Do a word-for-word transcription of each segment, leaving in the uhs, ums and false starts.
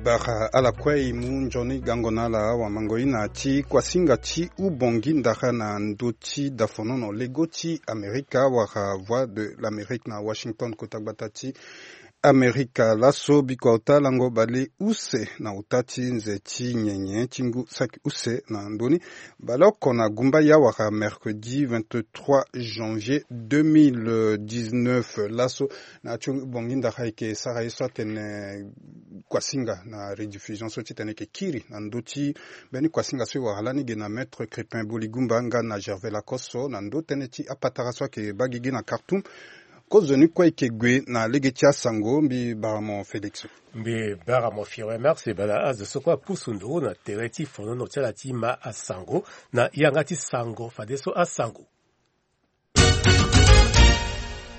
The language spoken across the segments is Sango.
Bara ala kue e mu nzoni gango na ala awamango e na ti kuasinga ti Ubongi Ndara na ndö ti dafonono lego ti Amerika wala Voix de l'Amérique na Washington, kota gbata ti Amerika. Laso biko aota lango baleuse na ota ti nze ti nyenye ti ngu saki use na ndö ni baleoko na gumba ya wala mercredi vingt-trois janvier deux mille dix-neuf. Laso na ti Ubongi Ndara ayeke sara ye so atene kuasinga na rediffusion so titene ayeke kiri na ndö ti mbeni kuasinga so e wara lani ge na Maître Crépin Boligumba nga na Gervais Lacoste so na ndö tënë ti apatara so ayeke baa gigi na Khartoum. Kozoni kue ayeke gue na lege ti asango, mbi bara mo Félix. Mbi bara mo Firmin Marx. E bala azo so kue apusu nduru na tere ti fonono ti ala ti ma asango na yanga ti sango fadeso asango.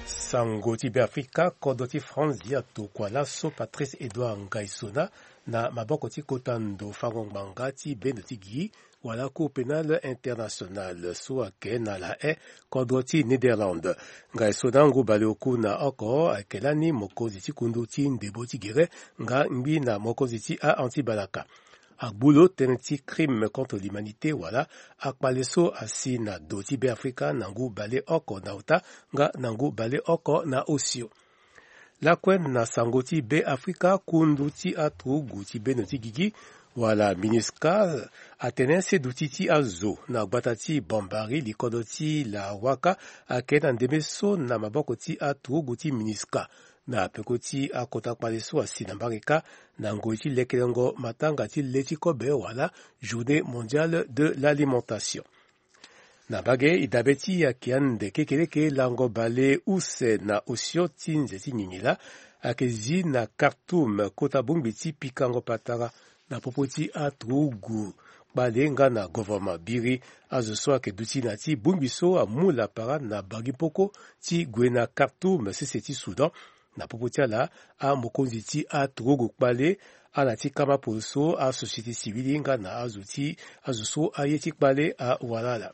Sango ti Beafrika, kodro ti France atokua laso Patrice Edouard Ngaisona na maboko ti kota ndo fango ngbanga ti bendo ti gi wala Cour pénale internationale so ayeke na La Haye, kodro ti Néderlande. Ngaisona ngu baleoku na oko ayeke lani mokonzi ti kundu ti ndebo ti gere nga ngbi na mokonzi ti a-anti-balaka. Agbu lo tënë ti crime contre l'humanité wala akpale so asi na do ti Beafrika na ngu baleoko na ota nga na ngu baleoko na osio. Lakue na sango ti Beafrika, kundu ti aturugu ti bendo ti gigi wala MINUSCA atene seduti ti azo na gbata ti Bambari, likodro ti Lawaka, ayeke na ndembe so na maboko ti aturugu ti MINUSCA na peko ti akota kpale so asi na mbage kâ na ngoi ti lekelengo matanga ti le ti kobe wala Journée mondiale de l'alimentation. Na mbage e dabe ti ayeke ande kekeleke lango baleuse na osio ti nze ti ngingi laa ayeke zi na Khartoum, kota bongbi ti pikango patara na popo ti aturugu kpale nga na govoroma. Biri azo so ayeke duti na ti bongbi so amu lapara na bangi poko ti gue na Khartoum, sese ti Soudan. Na popo ti ala, amokonzi ti aturugu kpale, ala ti kama poloso, asociété civile nga na azo ti azo so aye ti kpale awara ala.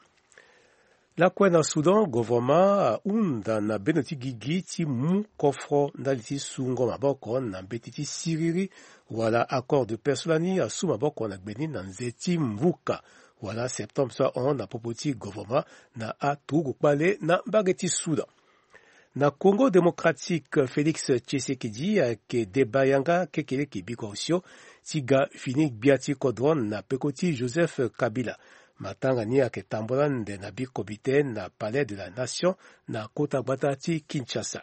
Lakue na Soudan, govoroma ahunda na bendo ti gigi ti mu kofro ndali ti sungo maboko na mbeti ti siriri wala accord de paix so lani asu maboko na gbe ni na nze ti mvuka wala septembre so ahon na popo ti govoroma na aturugu kpale na mbage ti Soudan. Na Congo Démocratique, Félix Tshisekedi ayeke deba yanga kekeleke bikua osio ti ga fini gbia ti kodro na peko ti Joseph Kabila. Matanga ni ayeke tambula ande na bikomite na Palais de la Nation na kota gbata ti Kinshasa.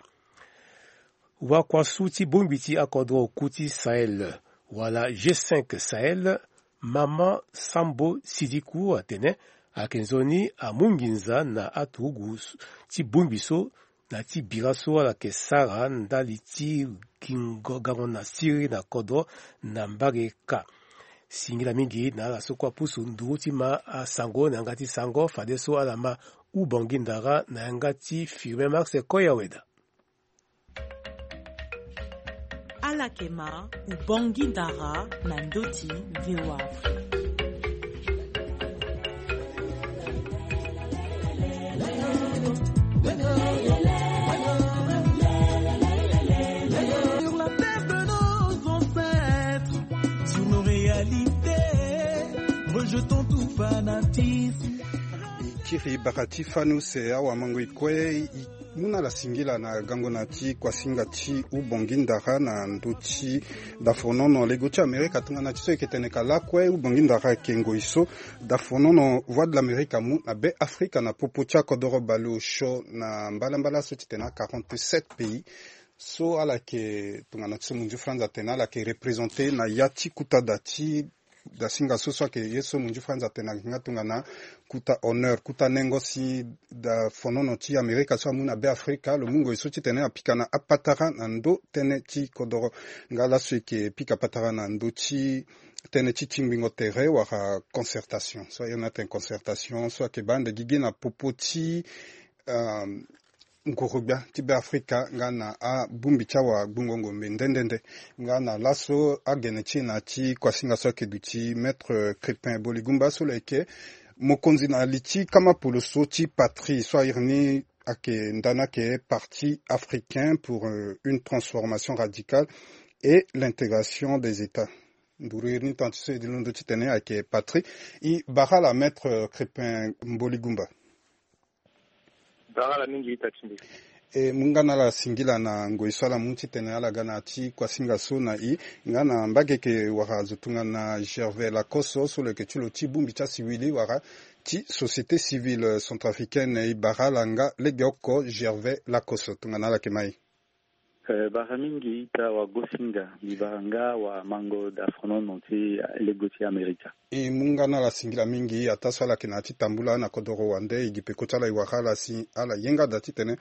Wakuasu ti bongbi ti akodro oku ti Sahel wala G cinq Sahel, Mama Sambo Sidiku atene ayeke nzoni amu nginza na aturugu ti bongbi so na ti bira so ala yeke sara ndali ti gingo gango na siriri na kodro na mbage kâ. Singila mingi na ala so kue apusu nduru ti ma asango na yanga ti sango fadeso ala ma Ubongi Ndara na yanga ti Firmin Marx Koyaweda. Ala yeke ma Ubongi Ndara na ndö ti V O A Afrique. Sur la terre de nos ancêtres, sur nos réalités, rejetons tout fanatisme. E kiri bara ti fani use awamango e kue. E mu na ala singila na gango na ti kuasinga ti Ubongi Ndara na ndö ti dafonono lego ti Amerika. Tongana ti so e yeke tene ka lakue, Ubongi Ndara ayeke ngoi so dafonono Voix de l'Amérique amu na Beafrika na popo ti akodoro baleosio na mbalambala so ti tene quarante-sept pays. So ala yeke tongana ti so munzu France atene ala yeke représenter na ya ti kota da ti dasinga so so ayeke ye so munzu France atene ayeke nga tongana kota honneur, kota nengo si dafonono ti Amerika so amu na Beafrika lo mu ngoi so ti tene apika na apatara na ndö tënë ti kodoro. Nga laso e yeke pika patara na ndö ti tënë ti tingbingo tere wala concertation. So aye na atene concertation so ayeke baa ande gigi na popo ti, um, nguru-gbia ti Beafrika nga na abongbi ti awagbongo ngombe nde nde nde. Nga na laso agene ti e na ti kuasinga so ayeke duti Maître Crépin Boligumba so lo yeke mokonzi na li ti kama poloso ti patrie so a iri ni ayeke ndani ayeke Parti africain pour, euh, une transformation radicale et l'intégration des États. nduru iri ni tonga ti so e londo titene ayeke patri. I bara ala maître Crépin Mboligumba. Bara ala mingi ita ti mbi. E mu nga na ala singila na ngoi so ala mu titene ala ga na ti kuasinga so na i nga na mbage yeke wara azo tongana Gervais Lacoste so lo yeke ti lo ti bongbi ti asiwili wala ti société civile centrafricaine. I bara ala nga legeoko Gervais Lacoste tongana ala yeke mai. Eh, bara mingi ita wagosinga, mbi bara nga wamango da fronono ti lego ti Amerika. E mu nga na ala singila mingi, ataa so ala yeke na ya ti tambula na kodoro wande, e gi peko ti ala e wara ala si ala yenga daa titene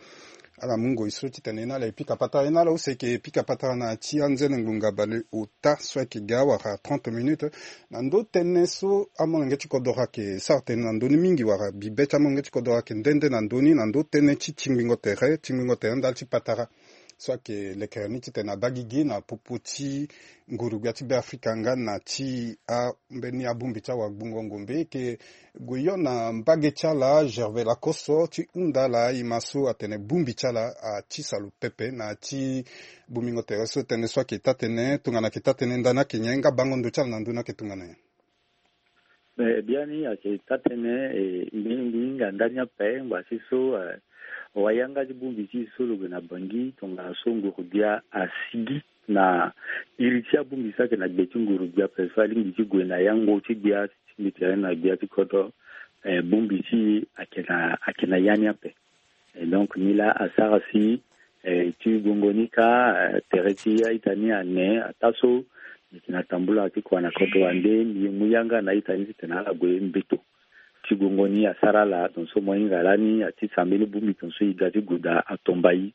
ala mu ngoi so titene e na ala e pika patara, e na ala use e yeke pika patara na ya ti anzene ngbonga bale ota so ayeke ga wara trente minutes. Na ndö tënë so amolenge ti kodoro ayeke sara tënë na ndö ni mingi wala bibe ti amolenge ti kodoro ayeke nde nde na ndö ni na ndö tënë ti tingbingo tere, tingbingo tere ndali ti patara so ayeke lekere ni titene abaa gigi na popo ti nguru-gbia ti Beafrika nga na ti ambeni abongbi ti awagbongo ngombe. E yeke gue yo na mbage ti ala Gervais Lacoste ti hunda ala e ma so atene bongbi ti ala atisa lo pepe na ya ti bongbingo tere so. Tënë so ayeke taa-tënë tongana ayeke taa-tënë ndani ayeke nyen nga bango ndo ti ala na ndö ni ayeke tongana nyen? Eh, biani ayeke taa-tënë, eh, mbi, mbi hinga ndani ape ngbanga ti so, eh, wayanga ti bongbi ti e so lo gue na Bangui tongana so nguru-gbia asigi na iri ti abongbi so ayeke na gbe ti nguru-gbia ape so alingbi ti gue na yango ti gbia ti tingbi tere na gbia ti kodro, eh, bongbi ti e ayeke na, ayeke na ya ni ape. Eh, donc ni laa asara si, eh, ti gongo ni kâ, eh, tere ti a-ita ni ane, ataa so mbi yeke na tambula ti kua na kodro wande, mbi mu yanga na a-ita ni titene ala gue mbeto. Ti gongo ni asara ala, tongaso mo hinga lani atisa mbeni bongbi tongaso e ga ti gue daa atomba e.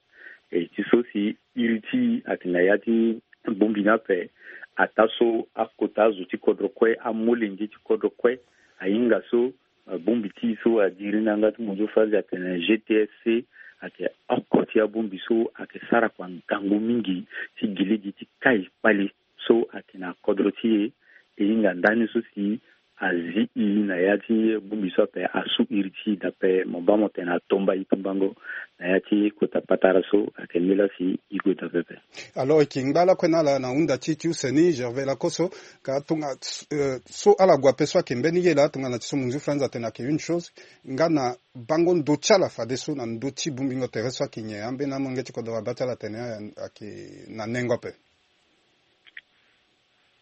Eh, ti so si iri ti e ayeke na ya ti bongbi ni ape, ataa so akota azo ti kodro kue, amolenge ti kodro kue ahinga so, eh, bongbi ti e so adiri na yanga ti munzu France atene G T S C, ayeke oko ti abongbi so ayeke sara kua ngangu mingi ti gi lege ti kai kpale so ayeke na kodro ti e. E hinga ndani so si azi e na ya ti bongbi so ape, asu iri ti e daa ape, mo baa mo tene atomba e tumbango na ya ti kota patara so ayeke nilaa si e gue daa pepe. Alors e yeke ngba lakue na ala na hunda ti e ti use ni, Gervais Lacoste, ka tonga, eh, so ala gue ape so ayeke mbeni ye laa tongana ti so munzu France atene ayeke une chose, nga na bango ndo ti ala fadeso na ndö ti bongbingo tere so ayeke nyen? Ambeni amolenge ti kodro abaa ti ala atene ayeke na nengo ape.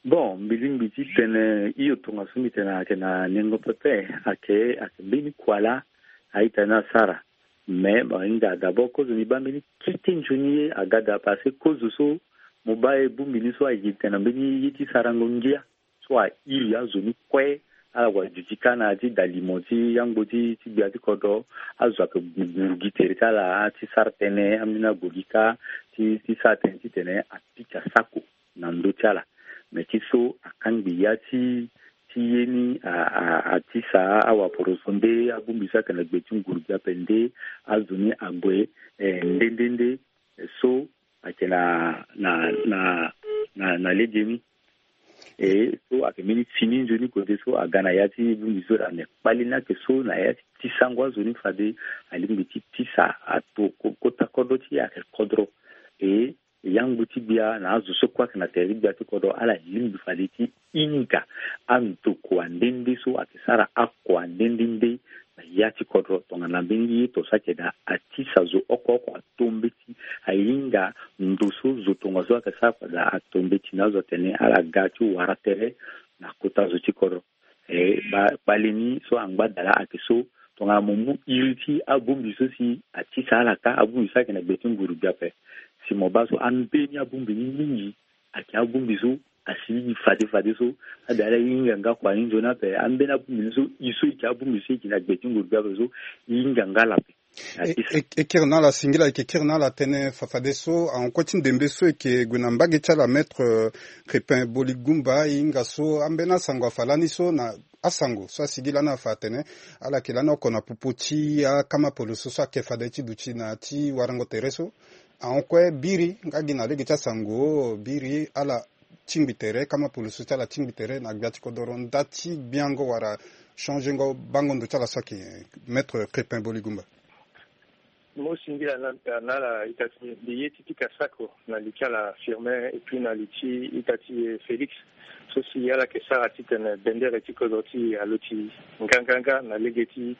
Bon, mbi lingbi ti tene hio, tongaso mbi tene ayeke na nengo pepe, ayeke, ayeke mbeni kua laa a-ita ni asara. Mais mo hinga d'abord kozo ni baa mbeni kete nzoni ye aga daa, parce que kozo so mo baa e bongbi ni so ayeke tene na mbeni ye ti sarango ngia so airi azo ni kue. Ala kua duti kâ na ya ti dalimo ti yangbo ti, ti gbia ti kodro. Azo ayeke gu, gu gi tere ti ala ti sara tënë, ambeni ague gi kâ ti, ti sara tënë titene apika sako na ndö ti ala. Me ti so akangbi ya ti, ti ye ni a, a, atisa awaporoso nde, abongbi so ayeke na gbe ti nguru-gbia ape nde, azo ni ague, eh, nde nde nde, eh, so ayeke na, na, na, na, na legeni. E so ayeke mbeni fini nzoni kote so aga na ya ti bongbi so daa, me kpale ni ayeke so na ya ti tisango azo ni fade alingbi ti tisa ato ko, kota kodro ti e ayeke kodro. E yangbu ti gbia na azo so kue ayeke na tere ti gbia ti kodro ala lingbi fade ti hinga andokua nde nde so ayeke sara akua nde nde nde na ya ti kodro. Tongana mbeni ye to so ayeke daa, atisa zo oko oko ato mbeti, ahinga ndo so zo tongaso ayeke sara kua daa ato mbeti na azo atene ala ga ti wara tere na kota zo ti kodro. E, ba, kpale ni so angba daa laa ayeke so, tongana mo mu iri ti abongbi so si atisa ala kâ, abongbi so ayeke na gbe ti nguru-gbia ape, si mo baa so ambeni abongbi ni mingi ayeke abongbi so asigi fade fade so, ade ala hinga nga kua ni nzoni ape, ambeni abongbi ni so, e so e yeke abongbi so e yeke na gbe ti nguru-gbia ape so, e hinga nga ala ape. E, e, e kiri na ala singila, e yeke kiri na ala tënë fafadeso ahon kue ti ndembe so e yeke gue na mbage ti ala, Maître, euh, Crépin Boligumba, e hinga so ambeni asango afa lani so na asango so asigi lani afa atene ala yeke lani oko na popo ti akama poloso so ayeke fade ti duti na ya ti warango tere so. Ahon kue biri nga gi na lege ti asango biri ala tingbi tere, kama poloso ti ala tingbi tere na gbia ti kodoro, nda ti gbiango wala changengo bango ndo ti ala so ayeke, Maître Crépin Boligumba. Mo singila na ala ita ti mbi ye ti pika sako na li ti ala Firmin et puis na li ti ita ti e Félix, so si ala yeke sara titene bendere ti kodro ti e aloti nganganga na lege ti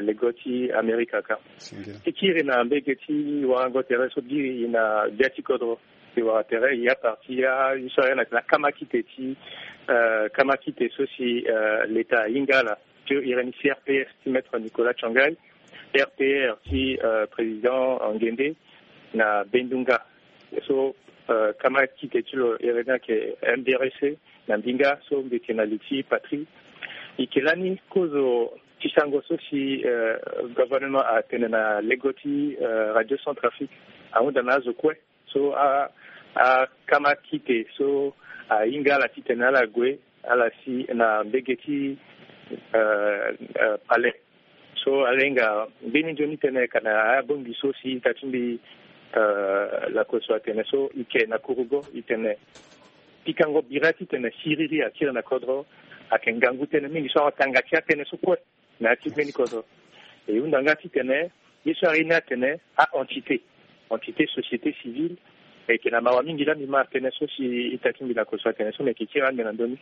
lego ti Amerika kâ. Ti kiri na mbege ti warango tere so biri e na gbia ti kodro, e wara tere e a parti a ye so a iri na tene akama kite ti kama kite so si leta ahinga ala, ti e iri ni C R P S ti maître Nicolas Tshangai, R P R ti président Nguende na Bendunga. So kama kite ti lo iri ni ayeke M D R C na mbinga, so mbi yeke na li ti patrie. E yeke lani kozo ti sango so si gouvernement atene na lego ti radio Centrafrique ahunda na azo kue. So akama kite so ahinga ala titene ala gue ala si na mbege ti palais. So ala hinga mbeni nzoni tënë ka na abongbi so si ita ti mbi lakoso atene so e ke na kurugo e tene pikango bira titene siriri akiri na kodro ayeke ngangu tënë mingi so awa tanga ti atënë so kue na ya ti mbeni kodro. E hunda nga titene ye so aye ni atene a-entité, entité société civile, e yeke na mawa mingi laa mbi ma tënë so si ita ti mbi lakoso atene so me yeke kiri ande na ndö ni.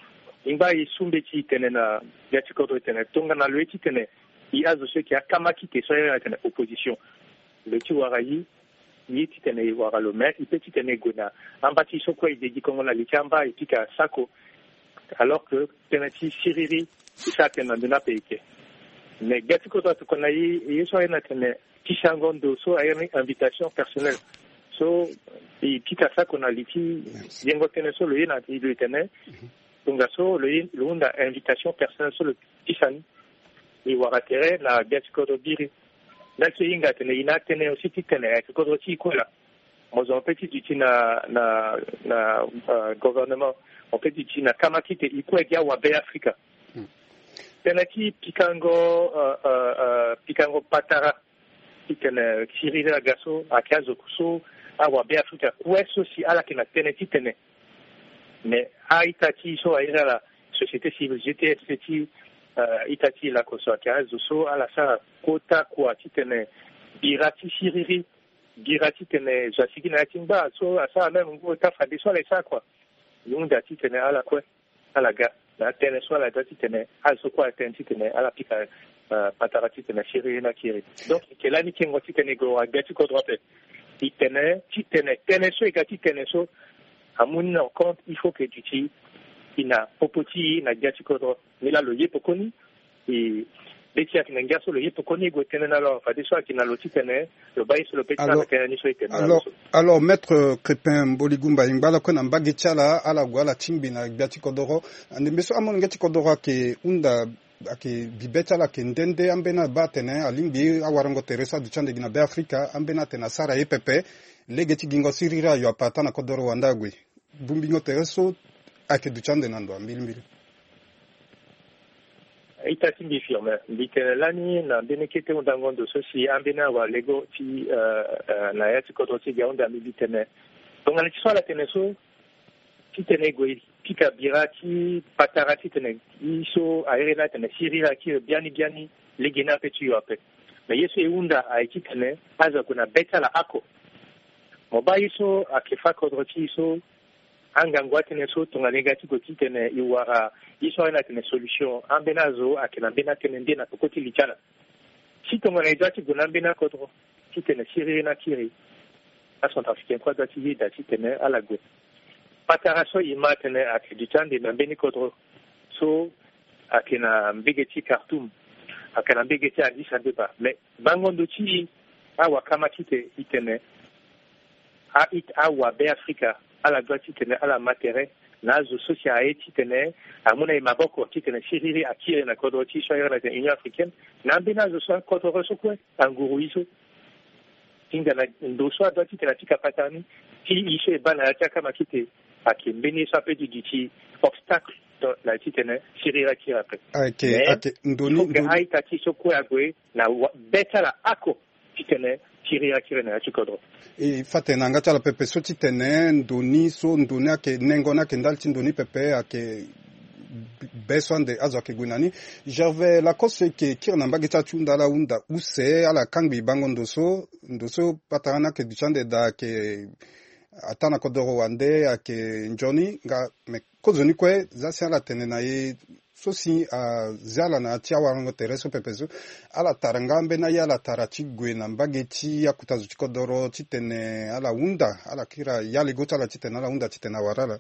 E ngba e su mbeti e tene na ya ti kodro e tene tongana lo ye titene e azo so e yeke akama kite so a iri atene opposition, lo ye ti wara ye, ye titene e wara lo, me e pe titene e gue na amba ti e so kue e degi kongo na li ti amba e pika sako. Alors que tënë ti siriri e sara tënë na ndö ni ape e ke. Me gbia ti kodro atokua na e ye so a iri ni atene ti sango ndo so a iri ni invitation personnelle so e pika sako na li ti yengo tënë so lo ye na lo e tene tongaso lo ye lo hunda invitation personnelle so lo pisa ni. E wara tere na gbia ti kodro biri. Ndali so e hinga atene e na atënë aussi titene ayeke kodro ti e kue laa. Mo zo mo pe ti duti na na na gouvernement, mo pe ti duti na kama kite e kue gi awabe afrika. Tënë ti pikango pikango patara titene siriri aga so ayeke azo so awabe afrika kue so si ala yeke na tënë titene. Me a-ita ti e so a iri ala société civile G T S ti ita ti e lakoso ayeke azo so ala sara kota kua titene bira ti siriri bira titene zo asigi na ya ti ngba so asara même ngu ota fadeso ala e sara kua. E hunda titene ala kue ala ga na atënë so ala ga titene azo so kue ala tene titene ala pika patara titene siriri ni akiri. Donc e yeke lani kengo titene e gue wara gbia ti kodro ape. E tene titene tënë so e ga titene so amu ni na compte il faut que duti e na popo ti e na gbia ti kodro. Nilaa lo ye pekoni e be ti e ayeke na ngia so lo ye pekoni e gue tënë na lo fadeso ayeke na lo titene lo baa ye so lo pe ti na tënë ni so e tene na lo so. Alors maître Crépin Mboligumba e ngba ala kue na mbage ti ala ala gue ala tingbi na gbia ti kodoro. Ande mbe so amolenge ti kodoro ayeke hunda ayeke bibe ti ala ayeke nde nde ambeni abaa atene alingbi awarango tere so aduti ande gi na be afrika ambeni atene asara ye pepe. Lege ti gingo siriri ayo ape ataa na kodoro wande ague. Bumbingo tere so ayeke duti ande na ndo ambilimbili. Ita ti mbi firme mbi tene lani na mbeni kete hundango ndo so si ambeni awalego ti na ya ti kodro ti gi ahunda mbi mbi tene tongana ti so ala tene so titene e gue e pika bira ti patara titene e so a iri ni atene siriri akiri biani biani. Lege ni ape ti yo ape. Me ye so e hunda aye titene azo ague na be ti ala oko. Mo baa ye so ayeke fâ kodro ti e so angangu atënë so tongana e ga ti gue titene e wara ye so a iri ni atene solution ambeni azo ayeke na mbeni atënë nde na peko ti li ti ala. Si tongana e za ti gue na ambeni akodro titene siriri ni akiri acentrafricain kue aza ti yeda titene ala gue. Patara so e ma atene ayeke duti ande na mbeni kodro so ayeke na mbege ti Khartoum, ayeke na mbege ti Addis Abeba. Me bango ndo ti e awakama ti tene e tene a-ita awabe afrika ala doit titene ala ma tere na azo so si aye titene amu na e maboko titene siriri akiri na kodro ti e so a iri na tene Union Africaine na ambeni azo so akodro so kue anguru e so. Hinga na ndo so adoit titene apika patara ni ti e so e baa na ya ti akama kite. Ayeke mbeni ye so ape ti duti obstacle na ya titene siriri akiri ape. Ayeke ayeke ndo ni ndo ni a-ita ti e so kue ague na be ti ala oko titene siriri akiri na ya ti kodro. E fâ tene na yanga ti ala pepe so titene ndo ni so ndo ni ayeke nengo ni ayeke ndali ti ndo ni pepe ayeke Be so ande azo ayeke gue na ni. Gervais Lacoste, e yeke kiri na mbage ti ala ti hunda ala hunda use, ala kangbi bango ndo so, ndo so patara ni ayeke duti ande daa, ayeke ataa na kodoro wande, ayeke nzoni nga. Me kozoni kue, za si ala tene na e so si azi ala na ya ti awarango tere so pepe so, ala tara nga ambeni aye ala tara ti gue na mbage ti akota zo ti kodoro titene ala hunda, ala kiri ayalego ti ala titene ala hunda titene awara ala.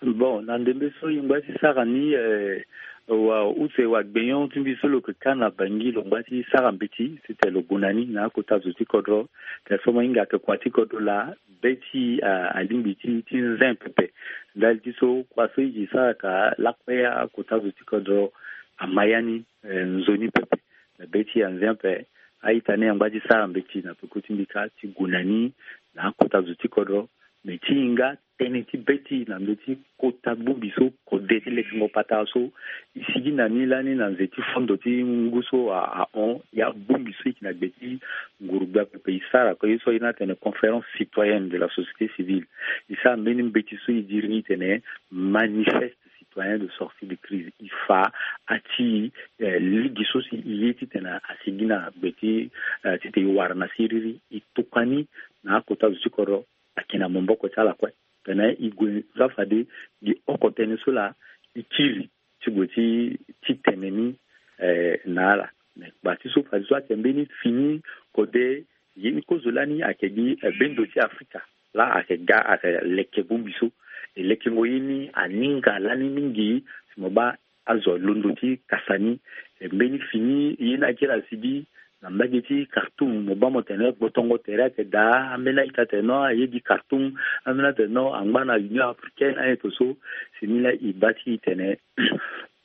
Bon, na ndembe so e ngba ti sara ni, eh, wa use wa gbenyon ti mbi so lo yeke ka na Bangui, lo ngba ti sara mbeti titene lo gue na ni na akota zo ti kodro. Tene so mo hinga ayeke kua ti kodro laa, be ti, ah, alingbi ti, ti zen pepe. Ndali ti so kua so e yeke sara ka lakue akota zo ti kodro ama ya ni, eh, nzoni pepe. Na be ti anze ape, a-ita ni angba ti sara mbeti na peko ti mbi kâ ti gue na ni na akota zo ti kodro. Me ti hinga tënë ti be ti e na ndö ti kota bongbi so kode ti lekengo patara so e sigi na ni lani na nze ti fondo ti ngu so a, ahon, ya bongbi so e yeke na gbe ti nguru-gbia pepe e sara kue ye so a iri ni atene conférence citoyenne de la société civile. E sara mbeni mbeti so e diri ni tene manifeste citoyen de sortie de crise. E fa ati, eh, lege so si e ye titene asigi na gbe ti, eh, titene e wara na siriri, e tokua ni na akota zo ti kodro ayeke na maboko ti ala kue. Tene e gue so afade gi oko tënë so laa e kiri ti gue ti, ti tene ni, eh, na ala. Me kpa ti so fade so ayeke mbeni fini kode ye ni kozo lani ayeke gi, eh, bendo ti Afrika laa ayeke ga, ayeke leke bongbi so. E lekengo ye ni aninga lani mingi si mo baa azo alondo ti kasa ni. E mbeni fini ye ni akiri asigi na mbage ti Khartoum, mo baa mo tene gbotongo tere ayeke daa. Ambeni a-ita atene non, aye gi Khartoum. Ambeni atene non, angba na Union Africaine, aye to so. Si ni laa e baa ti e tene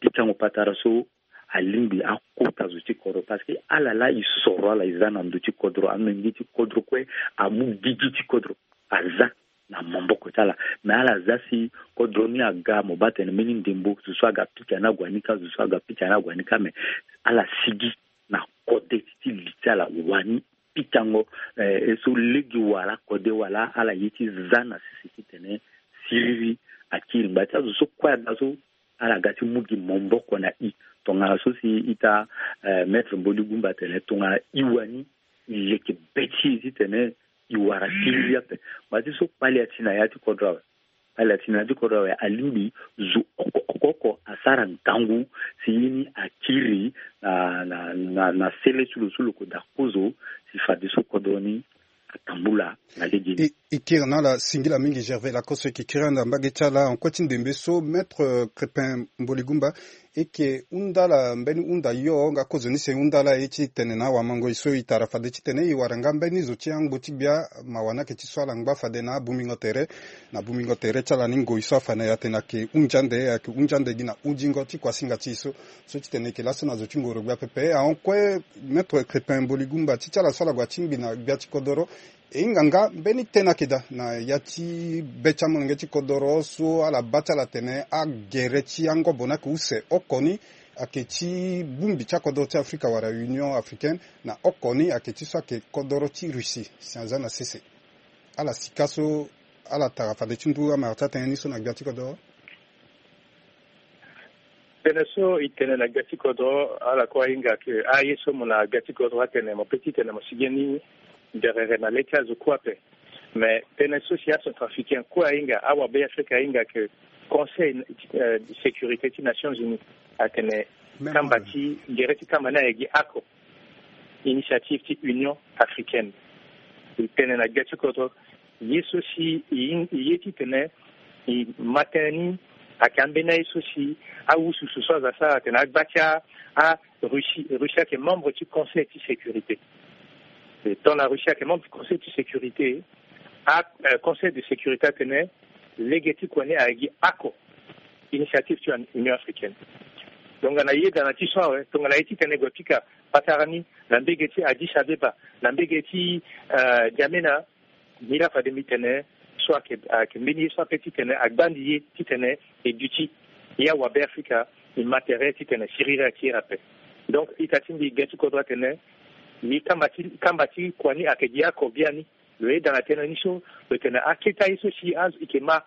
pikango patara so alingbi akota zo ti kodro, parce que ala laa e soro ala e za na ndö ti kodro, amenge ti kodro kue amu gigi ti kodro aza na maboko ti ala. Me ala za si kodro ni aga, mo baa tene mbeni ndembo, zo so aga pika ni ague ni kâ, zo so aga pika ni ague ni kâ, me ala sigi na kode ti li ti ala wani pikango, eh, e so lege wala kode wala ala ye ti za na sese titene siriri akiri ngba ti azo so kue aga so ala ga ti mu gi maboko na e. Tongana so si ita, eh, Maître Mboli Gumba atene tongana e wani e leke be ti e titene e wara siriri ape. Ngba ti so kpale ati na ya ti kodro awe. Kpale ati na ya ti kodro awe, alingbi zo oko oko oko asara ngangu si ye ni akiri na, na, na, na sele ti lo so lo yeke daa kozo si fadeso kodro ni atambula na legeni. E, e kiri na ala singila mingi Gervais Lacoste, e yeke kiri ande na mbage ti ala. Ankue ti ndembe so, Maître Crépin Mboligumba, e yeke hunda ala mbeni hunda yo nga kozoni si e hunda ala ye ti tene na awamangoi so e tara fade titene e wara nga mbeni zo ti angbo ti gbia, mawa ni ayeke ti so ala ngba fade na abungbingo tere, na abungbingo tere ti ala ni ngoi so afa na e atene ayeke hunzi ande, ayeke hunzi ande gi na hunzingo ti kuasinga ti e so. So titene e yeke laso na zo ti ngoro-gbia pepe. Ahon kue, Maître Crépin Mboligumba, ti ti ala so ala gue atingbi na gbia ti kodoro, e hinga nga mbeni tënë ayeke daa na ya ti be ti amolenge ti kodoro so ala baa ti ala tene agere ti angobo ni ayeke use oko ni ayeke ti bongbi ti akodoro ti Afrika wala Union Africaine, na oko ni ayeke ti so ayeke kodoro ti Russie, si aza na sese. Ala sika so ala tara fade ti ndu amara ti atënë ni so na gbia ti kodoro. Tënë so e tene na gbia ti kodro, ala kue ahinga ke aye so mo na gbia ti kodro atene mo pe ti tene mo sigi ni derere na le ti azo kue ape. Me tënë so si acentrafricain kue ahinga, awabe Afrika ahinga ke Conseil, euh, de sécurité ti Nations Unies atene kamba ti gere ti kamba ni ayeke gi oko, initiative ti Union Africaine. E tene na gbia ti kodro, ye so si e ye ti tene e ma tënë ni ayeke ambeni aye so si awususu so aza sara atene agba ti a, a Russie, Russie ayeke membre ti Conseil ti sécurité. E tongana Russie ayeke membre ti Conseil ti sécurité, a, euh, Conseil de sécurité atene lege ti kua ni ayeke gi oko, initiative ti Union Africaine. Donc na yeda na ti so awe, tongana ye ti tene e gue pika patara ni na mbege ti Addis Abeba, na mbege ti, euh, N'Djamena, nilaa fade mbi tene so ayeke, ayeke mbeni ye so ape ti tene agbandi ye ti tene e duti ye awabe Afrika e ma tere ti tene siriri akiri ape. Donc ita ti mbi gbia ti kodro atene, ni kamba ti, kamba ti kua ni ayeke gi oko biani. Lo yeda na tënë ni so, lo tene akete aye so si azo e yeke ma,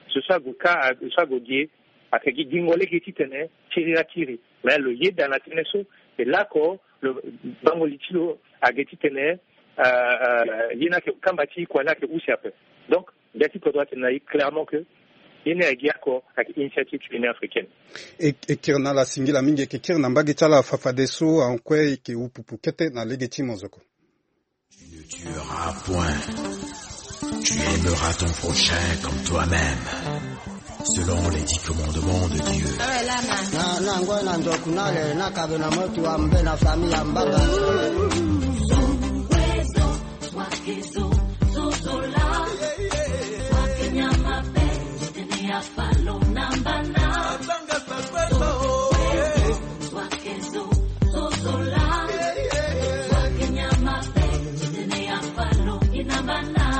zo so ague ka, zo so ague ge, Ayeke gi gingo lege titene kiri akiri. Mais lo yeda na tënë so, e lako lo bango li ti lo ayeke titene, euh, euh, ye ni ayeke kamba ti kua ni ayeke use ape. Donc, gbia ti kodro atene na e clairement que ye ni ayeke gi oko ayeke initiative ti Union africaine. E, e kiri na ala singila mingi, e yeke kiri na mbage ti ala fafadeso, ankue e yeke wu pupu kete na lege ti mozoko. Tu ne tueras point. Tu aimeras ton prochain comme toi-même. Selon les dix commandements de Dieu. Na, na ngoi na nzoku na le, na kabe na motu wa mbe na famille ya mbanga.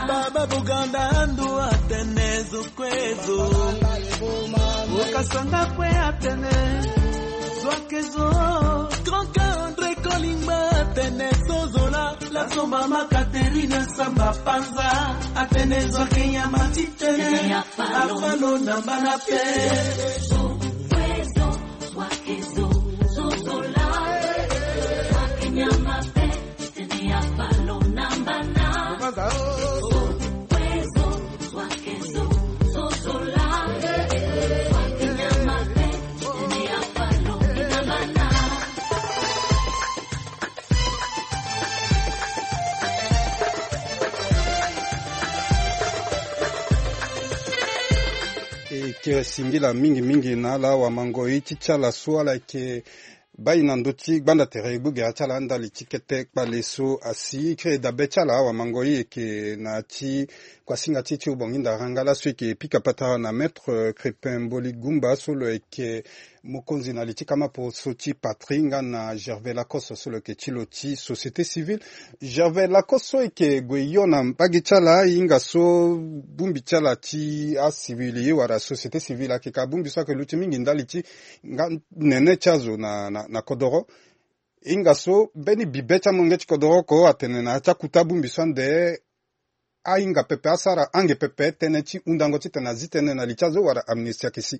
Baba Buganda Andu atene zo kue zo. Okasanga kue atene zo ake zo. Grand André Kolingba atene so zola. La somba ma Katerina Samba Panza atene zo ake nyama ti tene. Afalo na mbana pe. E yeke singila mingi mingi na ala wamangoi ti ti ala so ala yeke bai na ndö ti gbanda tere gbogera ti ala ndali ti kete kpale so asi. Kiri dabe ti ala wamangoi e yeke na ti kuasinga ti ti obongi ndaranga laso e yeke pika patara na maître Crépin Mboli Gumba so lo yeke mokonzi na li ti kama poroso ti patrie nga na Gervais Lacoste so lo yeke ti lo ti société civile. Gervais Lacoste so e yeke gue yo na mbage ti ala, e hinga so bongbi ti ala ti acivili wala société civile ayeke ka bongbi so ayeke luti mingi ndali ti nga nene ti azo na, na, na kodoro. E hinga so mbeni bibe ti amolenge ti kodoro oko atene na ya ti akuta bongbi so ande ahinga pepe asara ange pepe tënë ti hundango titene azi tënë na li ti azo wala amnistie ayeke si.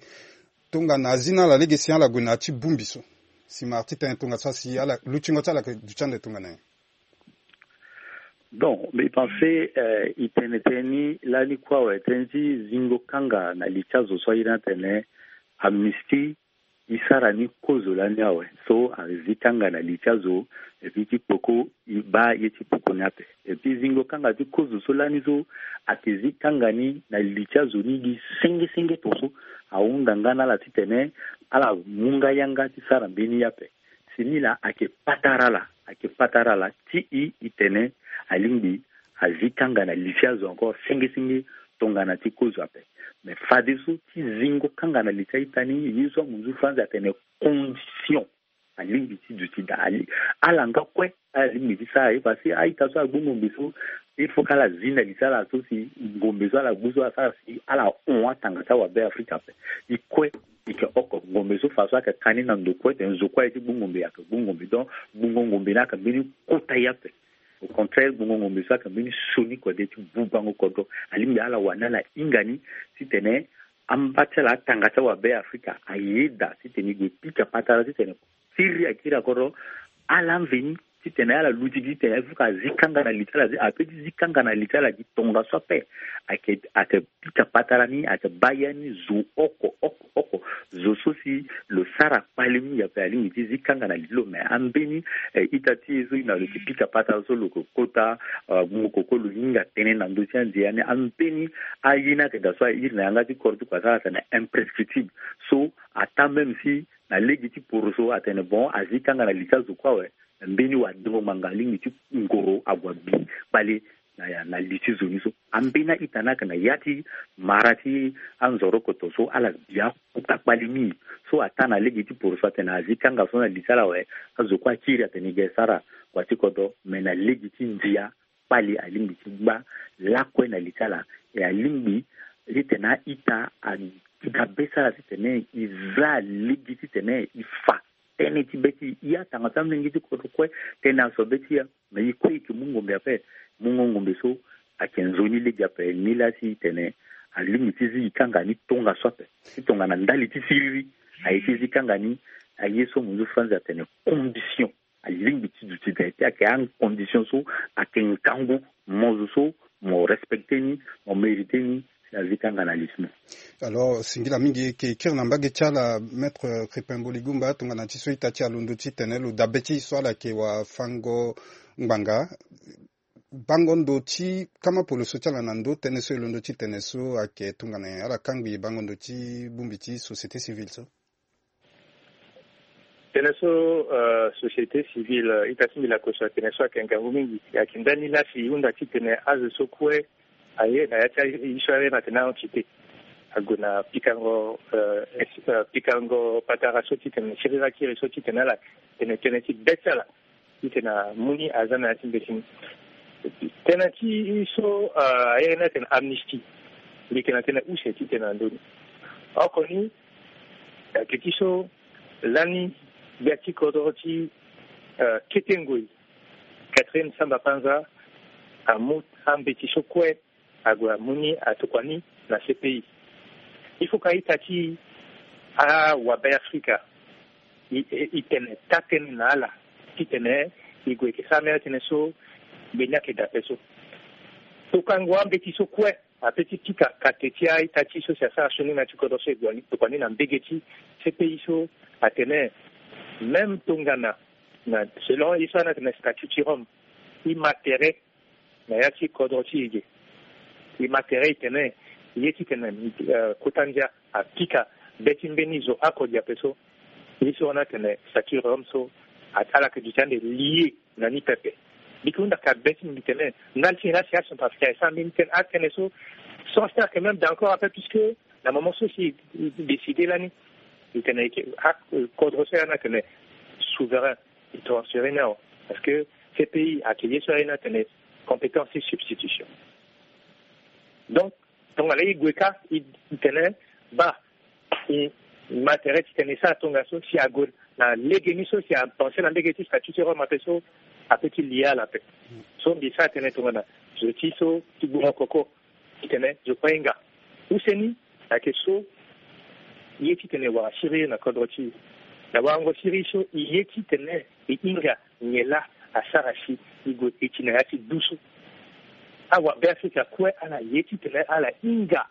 Tongana azi na ala lege si ala gue na ya ti bongbi so. Si ma arti tënë tongaso asi ala lutingo ti ala yeke duti ande tongana nyen? Donc, mbi pense, euh, e tene tënë ni lani kue awe, tënë ti zingo kanga na li ti azo so aye ni atene amnistie e sara ni kozo lani awe. So azi kanga na li ti azo, et puis ti kpoko e baa ye ti kpoko ni ape. Et puis zingo kanga ti kozo so lani so ayeke zi kanga ni na li ti azo ni gi senge senge tongaso. Ahunda nga na ala titene ala mu nga yanga ti sara mbeni ye ape. Si ni laa ayeke patara ala, ayeke patara ala ti e, e tene alingbi azi kanga na li ti azo encore senge senge tongana ti kozo ape. Mais fadeso ti zingo kanga na li ti a-ita ni, ye so amunzu France atene condition. Alingbi ti duti daa. Ali, ala nga kue ala lingbi ti sara ye, parce que a-ita so agbu ngombe so, il faut k'ala zi na li ti ala so si ngombe so ala gbu so asara si ala hon atanga ti awabe Afrika ape. E kue e yeke oko ngombe so faso ayeke ka ni na ndo kue tene zo kue aye ti gbu ngombe ayeke gbu ngombe. Donc gbungo ngombe ni ayeke mbeni kota ye ape. Au contraire, gbungo ngombe so ayeke mbeni sioni kode ti bubango kodro. Alingbi ala wani ala hinga ni titene amba ti ala atanga ti awabe Afrika ayeda titene e gue pika patara titene siriri akiri akodro. Ala mveni titene ala luti gi titene il faut que azi kanga na li ti ala, ape ti zi kanga na li ti ala gi tongaso ape. Ayeke, ayeke pika patara ni, ayeke baa ya ni zo oko oko oko. Zo so si lo sara kpale mingi ape alingbi ti zi kanga na li ti lo. Mais ambeni, eh, ita ti e so e na lo yeke pika patara so lo yeke kota, ah, gbungo koko lo hinga tënë na ndö ti andia ni. Ambeni aye ni ayeke daa so airi na yanga ti kodro ti kua so ala tene imprescriptible. So ataa même si na lege ti poroso atene bon azi kanga na li ti azo kue awe. Mbeni wadengo ngbanga alingbi ti ngoro ague abi kpale na, na li ti zo ni so. Ambeni a-ita ni ayeke na ya ti mara ti anzorokoto so ala bi akuta kpale mingi. So ataa na lege ti poroso atene azi kanga so na li ti ala awe. Azo kue akiri atene e ga e sara kua ti kodro, me na lege ti ndia kpale alingbi ti gba lakue na li ti ala. E alingbi titene a-ita adabe ti ala titene e za lege titene e fa tënë ti be ti e. Atanga ti amolenge ti kodro kue tënë aso be ti e. Me e kue e yeke mu ngombe ape. Mungo ngombe so ayeke nzoni lege ape. Nilaa si e tene alingbi ti zi e kanga ni tongaso ape. Ti tongana ndali ti siriri aye ti zi e kanga ni. Aye so mo nzu franzi atene condition. Alingbi ti duti da ye ti ayeke acondition so ayeke ngangu. Mo zo so mo respecte ni, mo mérite ni, si azi kanga na lismo. Alors singila mingi, e yeke kiri na mbage ti ala, maître Crépin Boligumba, tongana ti so ita ti alondo titene lo dabe ti e so ala yeke wafango ngbanga. Bango ndo ti kama polo so ti ala na ndo tënë so e londo ti tene so ayeke tongana nyen? Ala kangbi bango ndo ti bongbi ti société civile so. Tënë so, euh, société civile, euh, ita ti mbi lakoso atene so ayeke ngangu mingi. Ayeke ndani la si e hunda titene azo so kue aye na ya ti aye so aye na tene a-entité ague na pikango, euh, es- euh, pikango patara so titene siriri akiri so titene ala tene tënë ti be ti ala titene amu ni aza na ya ti mbeti ni. Tënë ti so, euh, ayeke na tene amnistie, mbi yeke na tene use titene na ndö ni. Oko ni, ayeke ti so lani gbia ti kodro ti, euh, kete ngoi, Catherine Samba Panza, amu ambeti so kue ague amu ni atokua ni na C P I. Il faut ka ita ti awabe Afrika e, e, e tene taa-tënë na ala titene e gue yeke sara mbeni atënë so gbe ni ayeke daa ape so. Tokango ambeti so kue ape ti pika kate ti a-ita ti so si asara sioni na ya ti kodro so e gue tokua ni na mbage ti C P I so atene même tongana na selon ye so a na tene statut ti Rome, e ma tere na ya ti kodro ti e ge. E ma tere e tene ye titene, euh, kota ndia apika be ti mbeni zo oko gi ape so. Ye so a na tene statut Rome so a- ala yeke duti ande lié na ni pepe. Mbi yeke hunda ka be ti mbi tene ndali ti nyen la si acentrafricain e sara mbeni tënë, atënë so, sans faire que même d'accord ape, puisque na moment so si e décide lani e tene e yeke, a- kodro so e a na tene souverain, e transférer ni awe. Parce que C P I ayeke ye so aye na tene compétence ti substitution. Donc tongana e gue kâ e tene baa, e ma tere titene e sara tongaso si ague na legeni so si apenser na mbage ti statut ti Rome ape so, ape ti lia ala ape. So mbi sara tënë tongana zo ti so ti gbongo koko titene zo kue e hinga. Use ni ayeke so e ye titene e wara siriri na kodro ti e. Na warango siriri so e ye titene e hinga nyen laa asara si e gue eti na ya ti du so. Awabe Afrika kue ala ye titene ala hinga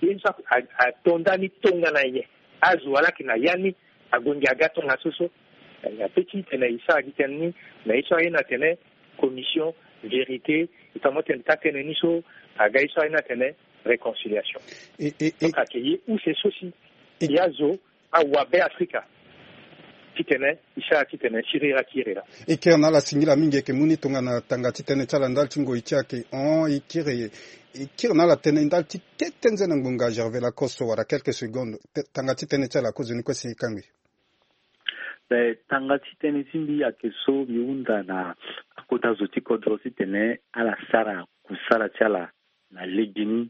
ye so a- a- ato ndani tongana nyen. Azo ala yeke na ya ni ague ngia aga tongaso so. Na ya pe titene e sara gi tënë ni na ye so aye na tene commission vérité, e fa mo tene taa-tënë ni so aga ye so aye na tene réconciliation. E, e, e. Donc ayeke ye use so si e azo awabe Afrika titene e sara titene siriri akiri laa. E kiri na ala singila mingi, e yeke mu ni tongana tanga ti tënë ti ala ndali ti ngoi ti ayeke hon. E kiri, e kiri na ala tënë ndali ti kete nzene ngbonga Gervais Lacoste wala quelques secondes. Te- tanga ti tënë ti ala kozoni kue si e kangbi. Be, tanga ti tënë ti mbi ayeke so mbi hunda na akota zo ti kodro titene ala sara kusala ti ala na legeni.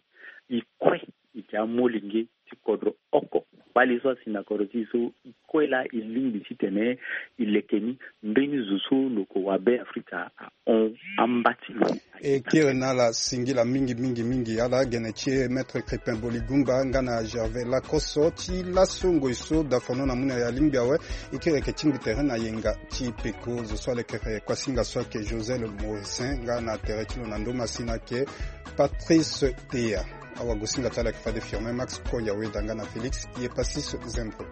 E kue e yeke amolenge ti kodro oko. Bale so asi na kodro ti e so e kue laa e lingbi titene e leke ni mbeni zo so lo yeke wabe Afrika ahon amba ti lo. E kiri na ala singila mingi mingi mingi ala gene ti e, Maître Crépin Boligumba nga na Gervais Lacoste. Ti laso ngoi so dafono na mu na e alingbi awe. E kiri yeke tingbi tere na yenga ti peko. Zo so alekere kuasinga so ayeke Josel Morissin nga na tere ti lo na ndo masina ayeke Patrice Teya. Awagosinga ti ala ayeke fade Firmin Max Koya Weda nga na Félix Yepasis Zembro.